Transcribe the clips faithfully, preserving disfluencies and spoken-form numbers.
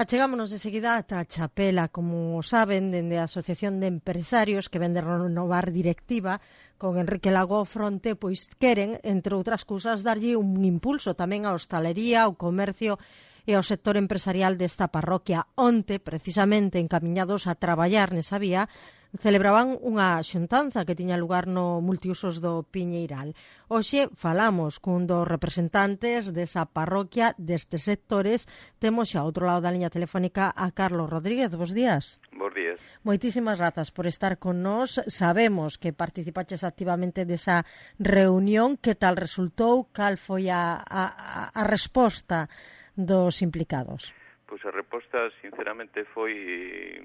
Achegámonos de seguida ata Chapela, como saben, dende a Asociación de Empresarios que vende renovar directiva con Enrique Lago ao fronte, pois queren, entre outras cousas, darlle un impulso tamén á hostalería, ao comercio e ao sector empresarial desta parroquia. Onte, precisamente, encamiñados a traballar nesa vía, celebraban unha xuntanza que tiña lugar no multiusos do Piñeiral. Hoxe falamos cun dos representantes desa parroquia destes sectores. Temos xa ao outro lado da liña telefónica a Carlos Rodríguez. Bos días. Bos días. Moitísimas grazas por estar con nós. Sabemos que participaches activamente desa reunión. Que tal resultou? Cal foi a, a, a resposta dos implicados? Pois a resposta, sinceramente, foi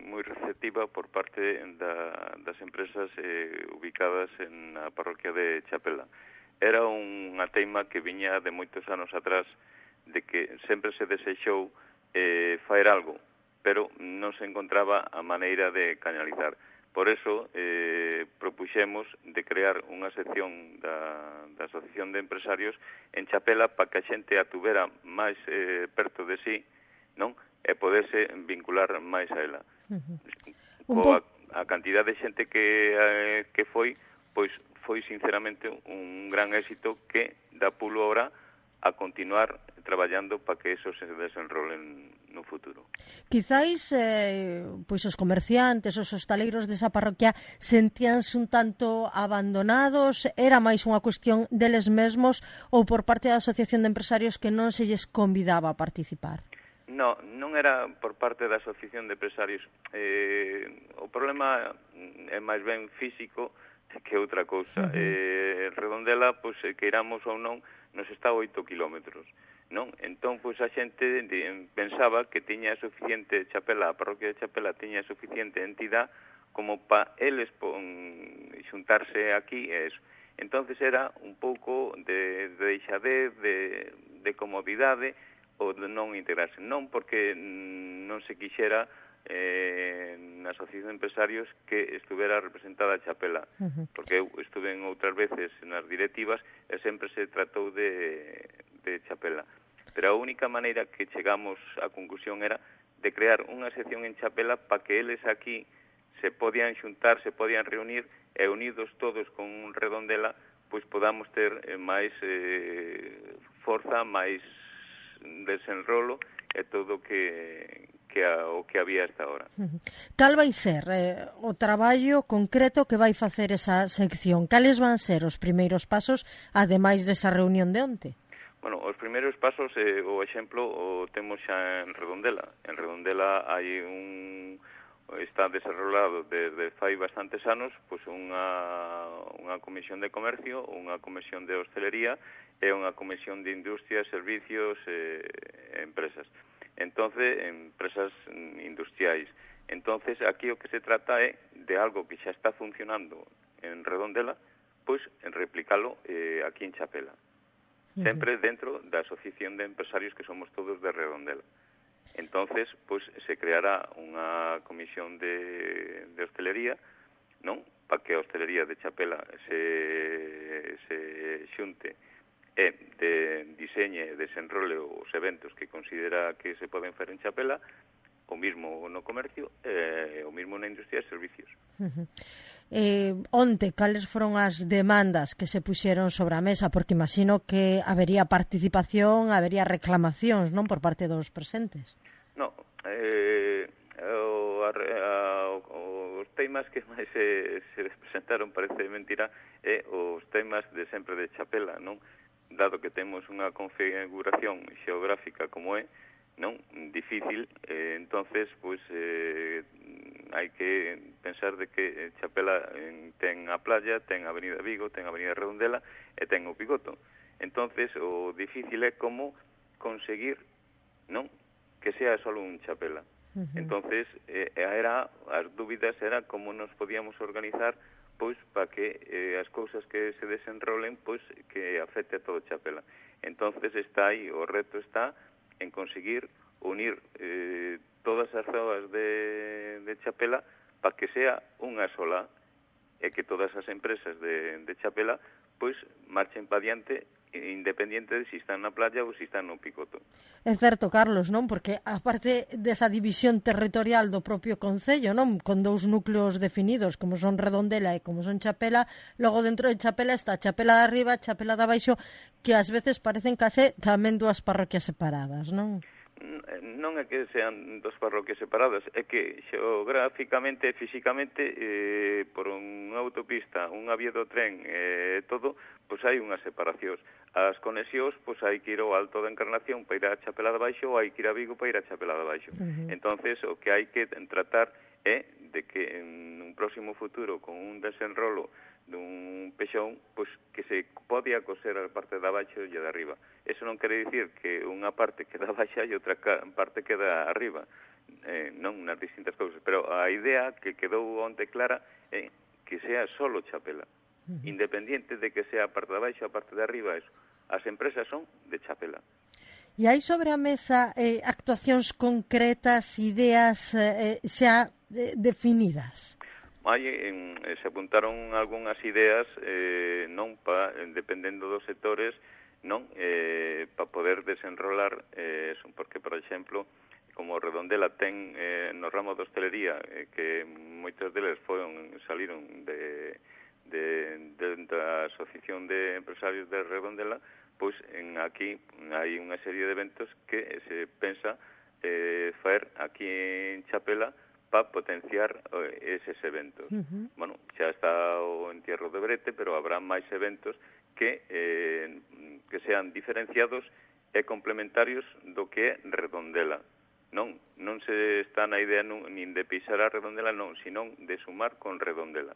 moi receptiva por parte da, das empresas eh, ubicadas en a parroquia de Chapela. Era unha teima que viña de moitos anos atrás, de que sempre se desexou eh, faer algo, pero non se encontraba a maneira de canalizar. Por eso eh, propuxemos de crear unha sección da, da Asociación de Empresarios en Chapela para que a xente a tuvera máis eh, perto de sí, non? E poderse vincular máis a ela. Uh-huh. Coa a cantidad de xente que eh, que foi, pois foi sinceramente un gran éxito que dá pulo ahora a continuar traballando para que eso se desenrolen no futuro. Quizáis eh, pois os comerciantes, os hostaleiros desa parroquia sentíanse un tanto abandonados, era máis unha cuestión deles mesmos ou por parte da Asociación de Empresarios que non se lles convidaba a participar? No, non era por parte da Asociación de Empresarios. Eh, o problema é máis ben físico que outra cousa. Uh-huh. Eh, Redondela, pois, queiramos ou non, nos está a oito kilómetros, non? Entón, pois, a xente pensaba que tiña suficiente Chapela, a parroquia de Chapela tiña suficiente entidade como para eles pon, xuntarse aquí e eso. Entonces era un pouco de, de deixadez, de, de comodidade, ou de non integrarse. Non porque non se quixera eh, na Asociación de Empresarios que estuvera representada a Chapela, uh-huh. porque eu estuve en outras veces nas directivas e sempre se tratou de, de Chapela. Pero a única maneira que chegamos á conclusión era de crear unha sección en Chapela para que eles aquí se podían xuntar, se podían reunir e unidos todos con un Redondela, pois podamos ter eh, máis eh, forza, máis desenrolo e todo que que a, o que había hasta ahora. Cal vai ser eh, o traballo concreto que vai facer esa sección? Cales van ser os primeiros pasos, ademais desa reunión de onte? Bueno, os primeiros pasos, eh, o exemplo, o temos xa en Redondela. En Redondela hai un está desarrollado desde fai bastantes anos pois unha, unha comisión de comercio, unha comisión de hostelería e unha comisión de industria, servicios e eh, empresas. Entonces, empresas industriais. Entonces, aquí o que se trata é de algo que xa está funcionando en Redondela, pois en replicalo eh, aquí en Chapela. Uh-huh. Sempre dentro da Asociación de Empresarios que somos todos de Redondela. Entonces, pois, se creará unha comisión de, de hostelería, non? Para que a hostelería de Chapela se, se xunte e de diseñe e desenrole os eventos que considera que se poden fer en Chapela, o mismo no comercio e o mismo na industria e servicios. Uh-huh. Eh, onte, cales foron as demandas que se puxeron sobre a mesa? Porque imagino que habería participación, habería reclamacións, non, por parte dos presentes. No, eh, o, a, a, os temas que máis se, se presentaron, parece mentira, é os temas de sempre de Chapela, non? Dado que temos unha configuración xeográfica como é, non, difícil, eh, entonces, pois, eh, hai que pensar de que Chapela eh, ten a playa, ten a Avenida Vigo, ten a Avenida Redondela e ten o Picoto. Entonces, o difícil é como conseguir, non, que sea solo un Chapela. Uh-huh. Entonces, eh, era, as dúbidas era como nos podíamos organizar pois para que eh, as cousas que se desenrolen pois que afecte a todo Chapela. Entonces está aí, o reto está en conseguir unir eh, todas as zonas de, de Chapela para que sea unha sola e que todas as empresas de, de Chapela pois marchen pa diante independiente de si están na playa ou si están no picoto. É certo, Carlos, non? Porque aparte desa división territorial do propio concello, non? Con dous núcleos definidos, como son Redondela e como son Chapela, logo dentro de Chapela está Chapela de arriba, Chapela de abaixo, que ás veces parecen case tamén dúas parroquias separadas, non? Non é que sean dos parroquias separadas, é que xeográficamente e físicamente eh, por unha autopista, unha vía do tren e eh, todo, pois hai unhas separacións. As conexións, pois hai que ir ao Alto da Encarnación para ir a Chapela de Baixo ou hai que ir a Vigo para ir a Chapela de Baixo. Uh-huh. Entonces, o que hai que tratar é de que en un próximo futuro, con un desenrolo dun pexón, pois que se podía coser a parte de abaixo e de arriba. Eso non quere dicir que unha parte queda baixa e outra parte queda arriba, eh, non nas distintas cousas, pero a idea que quedou onte clara é que sea solo Chapela, uh-huh. independiente de que sea a parte de abaixo ou a parte de arriba, eso. As empresas son de Chapela. E hai sobre a mesa eh, actuacións concretas, ideas eh, xa eh, definidas? Hai, en, se apuntaron algunhas ideas, eh, non pa, dependendo dos sectores, non eh, para poder desenrolar eh, eso, porque, por exemplo, como Redondela ten eh, no ramo de hostelería, eh, que moitos deles foron, saliron de, de, de da Asociación de Empresarios de Redondela, pois en aquí hai unha serie de eventos que se pensa eh, faer aquí en Chapela para potenciar eh, eses eventos. Uh-huh. Bueno, xa está o entierro de Brete, pero habrá máis eventos que eh, que sean diferenciados e complementarios do que é Redondela. Non, non se está na idea nun, nin de pisar a Redondela, non, sino de sumar con Redondela.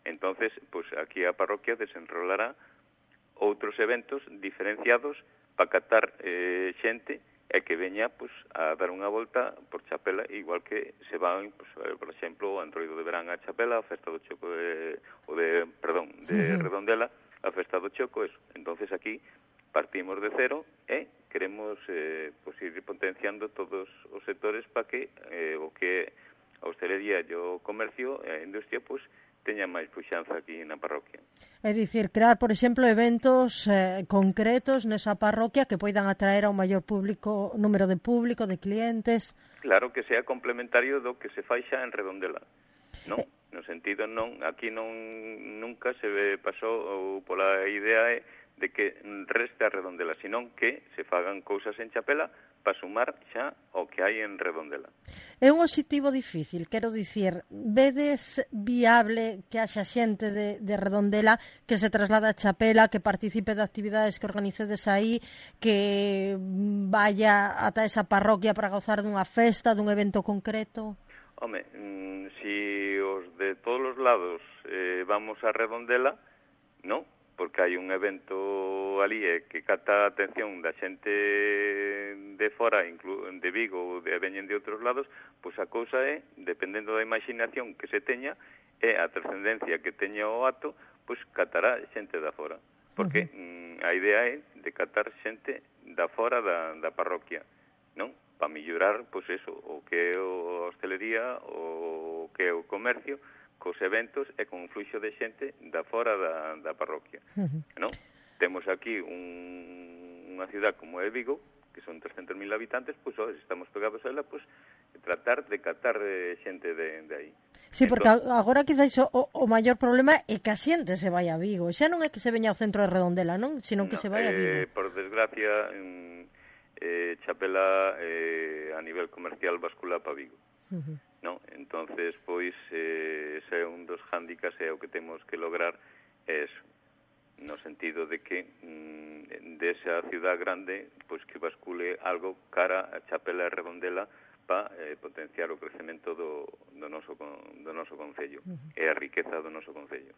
Entonces, pues aquí a parroquia desenrolará outros eventos diferenciados para catar eh, xente e que veña pues, a dar unha volta por Chapela, igual que se van, pues, por exemplo, o Antroido de Verán a Chapela, a Festa do Choco de, o de, perdón, de uh-huh. Redondela, a Festa do Choco, eso. Entonces aquí partimos de cero e queremos eh, pues, ir potenciando todos os sectores para que eh, o que a hostelería e o comercio e a industria pues, teña máis puxanza aquí na parroquia. É dicir, crear, por exemplo, eventos eh, concretos nesa parroquia que poidan atraer ao maior público, número de público, de clientes. Claro, que sea complementario do que se fai xa en Redondela. Non? Eh. No sentido, non, aquí non nunca se pasou pola idea de que reste a Redondela, senón que se fagan cousas en Chapela para sumar xa o que hai en Redondela. É un obxectivo difícil, quero dicir, vedes viable que haxa xente de, de Redondela que se traslada a Chapela, que participe de actividades que organicedes aí, que vaya ata esa parroquia para gozar dunha festa, dun evento concreto? Home, mmm, si os de todos os lados eh, vamos a Redondela, non? Porque hai un evento ali eh, que cata a atención da xente de fora, inclu de Vigo ou de veñen de outros lados, pois a cousa é, dependendo da imaginación que se teña, é a trascendencia que teña o acto, pois catará xente da fora. Porque uh-huh. mm, a idea é de catar xente da fora da, da parroquia, non? Para mellorar, pois eso, o que é a hostelería, o que é o comercio, cos eventos e con un fluxo de xente da fora da, da parroquia. Uh-huh. Non? Temos aquí un, unha ciudad como é Vigo, que son trescentos mil habitantes, pois pues, estamos pegados a ela, pois pues, tratar de catar eh, xente de, de aí. Sí, porque entón, agora quizás o, o maior problema é que a xente se vai a Vigo. Xa non é que se veña ao centro de Redondela, non? Sino que no, se vai a Vigo. Eh, por desgracia, eh, Chapela eh, a nivel comercial bascula para Vigo. Uh-huh. No, entonces pois eh, ese é un dos hándicaps e o que temos que lograr é eso, no sentido de que mm, desa ciudad grande pois que bascule algo cara a Chapela e Redondela para eh, potenciar o crecemento do, do, noso, do noso concello uh-huh. e a riqueza do noso concello.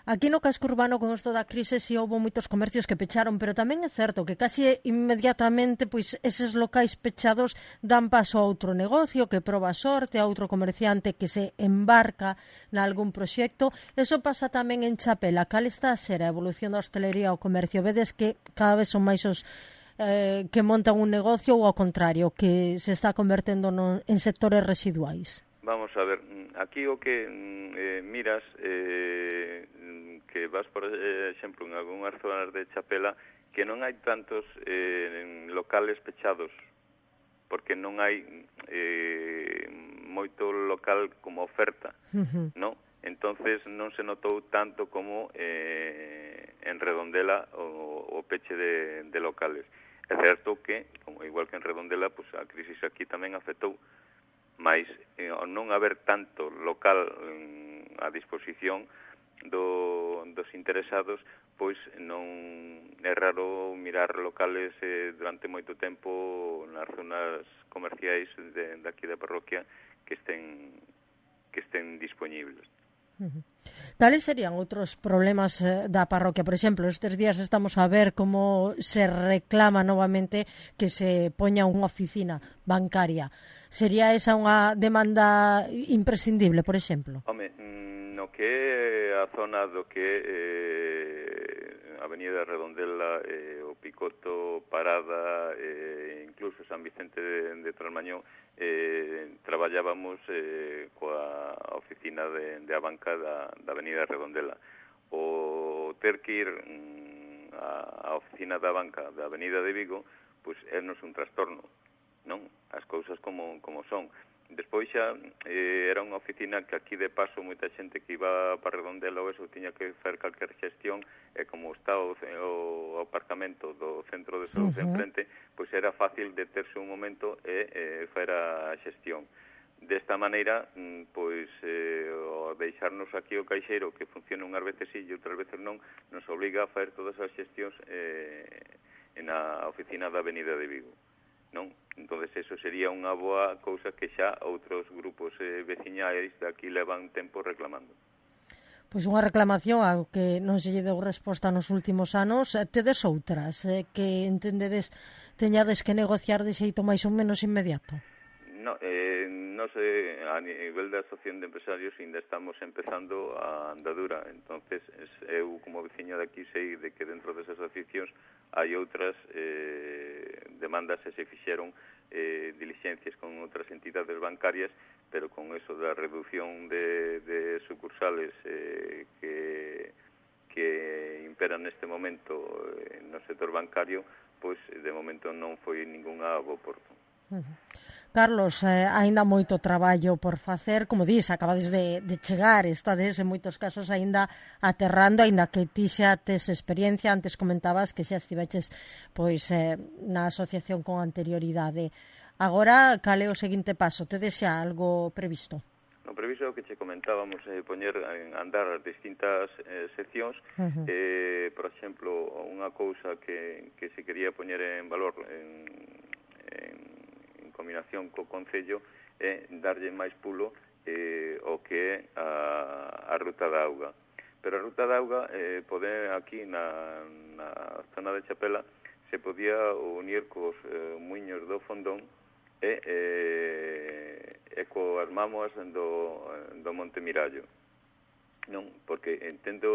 Aquí no casco urbano con isto da crise si houve moitos comercios que pecharon, pero tamén é certo que casi inmediatamente pois eses locais pechados dan paso a outro negocio que proba sorte, a outro comerciante que se embarca nalgún proxecto. Eso pasa tamén en Chapela. Cal está a ser a evolución da hostelería ao comercio? Vedes que cada vez son máis os eh, que montan un negocio ou ao contrario, que se está convertendo no, en sectores residuais? Vamos a ver, aquí o que eh, miras eh, que vas, por exemplo, en algunhas zonas de Chapela, que non hai tantos eh, locales pechados, porque non hai eh, moito local como oferta, Uh-huh. non? Entonces non se notou tanto como eh, en Redondela o, o peche de, de locales. É certo que, como igual que en Redondela, pues, a crisis aquí tamén afectou, mas eh, ao non haber tanto local mm, a disposición do, dos interesados, pois non é raro mirar locales eh, durante moito tempo nas zonas comerciais de, de aquí da parroquia que estén que estén disponibles. Uh-huh. Cales serían outros problemas eh, da parroquia? Por exemplo, estes días estamos a ver como se reclama novamente que se poña unha oficina bancaria. Sería esa unha demanda imprescindible, por exemplo? Home, no que é a zona do que eh, Avenida Redondela, eh, o Picoto, Parada, eh, incluso San Vicente de, de Trasmañón, eh, traballábamos eh, coa oficina de, de a banca da, da Avenida Redondela. O ter que ir mm, a, a oficina da banca da Avenida de Vigo, pois é nos un trastorno, non? As cousas como, como son. Despois xa eh, era unha oficina que aquí de paso moita xente que iba para Redondela ou eso tiña que facer calquer xestión, e como está o, o aparcamento do centro de saúde uh-huh. enfrente, pois era fácil deterse un momento e eh, facer a xestión. Desta maneira, pois eh, o deixarnos aquí o caixeiro que funciona unhas veces sí e outras veces non, nos obliga a facer todas as xestións eh, na oficina da Avenida de Vigo, non? Entonces eso sería unha boa cousa que xa outros grupos eh, veciñais de aquí levan tempo reclamando. Pois unha reclamación ao que non se lle deu resposta nos últimos anos. Tedes outras eh, que entendedes teñades que negociar de xeito máis ou menos inmediato? No, eh, no sé, a nivel da Asociación de Empresarios ainda estamos empezando a andadura, entonces eu como veciño de aquí sei de que dentro desas asociacións hai outras eh, demandas e se fixeron eh, diligencias con outras entidades bancarias, pero con eso da reducción de, de sucursales eh, que, que imperan neste momento eh, no sector bancario, pois de momento non foi ningunha bo porto. Uh-huh. Carlos, eh, aínda moito traballo por facer, como dis, acabades de, de chegar, estades en moitos casos aínda aterrando, aínda que ti xa tes experiencia, antes comentabas que xa estiveches pois, eh, na asociación con anterioridade. Agora, cal é o seguinte paso? Tedes xa algo previsto? No previsto que che comentábamos eh, poñer en andar as distintas eh, seccións, uh-huh. eh, por exemplo, unha cousa que, que se quería poñer en valor en, en combinación co Concello é darlle máis pulo eh, o que é a, a ruta da auga. Pero a ruta da auga eh, pode aquí na, na zona de Chapela se podía unir cos eh, muiños do Fondón e, eh, e coas mámoas do, do Monte Mirallo. Non, porque entendo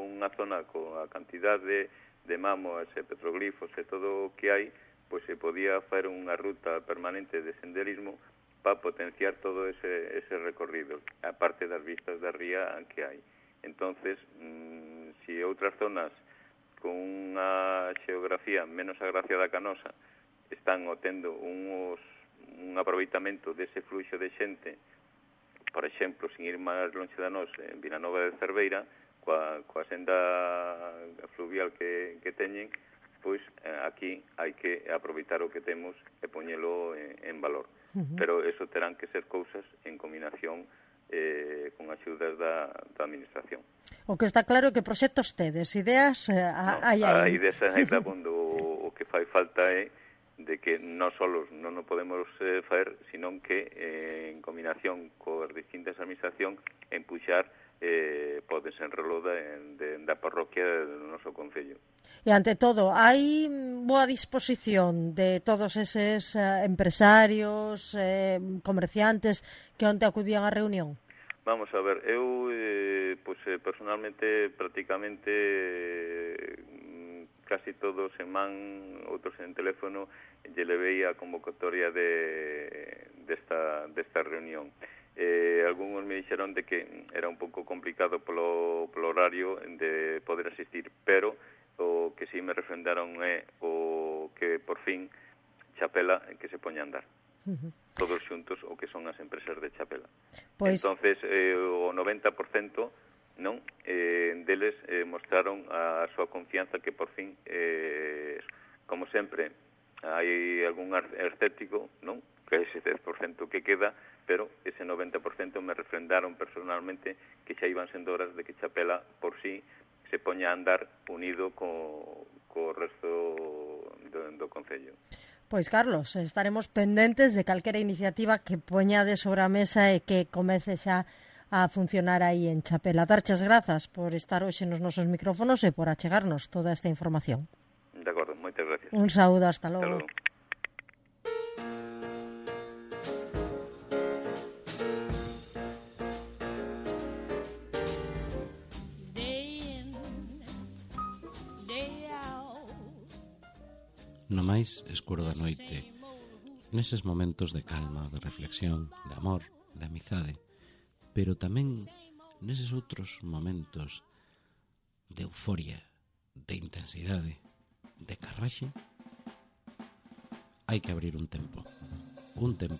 unha zona coa cantidad de, de mámoas e petroglifos e todo o que hai, pois se podía facer unha ruta permanente de senderismo para potenciar todo ese, ese recorrido, aparte das vistas da ría que hai. Entonces, mmm, si outras zonas con unha xeografía menos agraciada que a nosa están obtendo unos, un aproveitamento dese fluxo de xente, por exemplo, sin ir máis longe da nos, en Vilanova de Cerveira, coa, coa senda fluvial que, que teñen, pois eh, aquí hai que aproveitar o que temos e poñelo en, en valor. Uh-huh. Pero eso terán que ser cousas en combinación eh, con axudas da, da administración. O que está claro é que proxectos tedes, ideas eh, no, hai aí. Hai desa hai dabondo o, o que fai falta é de que non solos non o podemos eh, facer, sino que eh, en combinación coas distintas administracións empuxar eh, pode ser enrolo da, de, da parroquia do noso concello. E ante todo, hai boa disposición de todos eses eh, empresarios, eh, comerciantes que onte acudían á reunión? Vamos a ver, eu eh, pues, eh, personalmente prácticamente eh, casi todos en man, outros en teléfono, lle levei a convocatoria de desta, desta reunión. Eh, algúns me dixeron de que era un pouco complicado polo, polo horario de poder asistir, pero o que si me refrendaron é o que por fin Chapela que se poña a andar. Uh-huh. Todos xuntos o que son as empresas de Chapela. Pois... Entonces, eh, o noventa por cento non eh, deles eh, mostraron a súa confianza que por fin, eh, como sempre, hai algún escéptico, non? Que é ese dez por cento que queda, pero ese noventa por cento me refrendaron personalmente que xa iban sendo horas de que Chapela por sí se poña a andar unido co, co resto do, do Concello. Pois, Carlos, estaremos pendentes de calquera iniciativa que poñade sobre a mesa e que comece xa a funcionar aí en Chapela. Darches grazas por estar hoxe nos nosos micrófonos e por achegarnos toda esta información. De acordo, moitas gracias. Un saúdo, hasta logo. Hasta logo. No máis escuro da noite, neses momentos de calma, de reflexión, de amor, de amizade, pero tamén neses outros momentos de euforia, de intensidade, de carraxe, hai que abrir un tempo, un tempo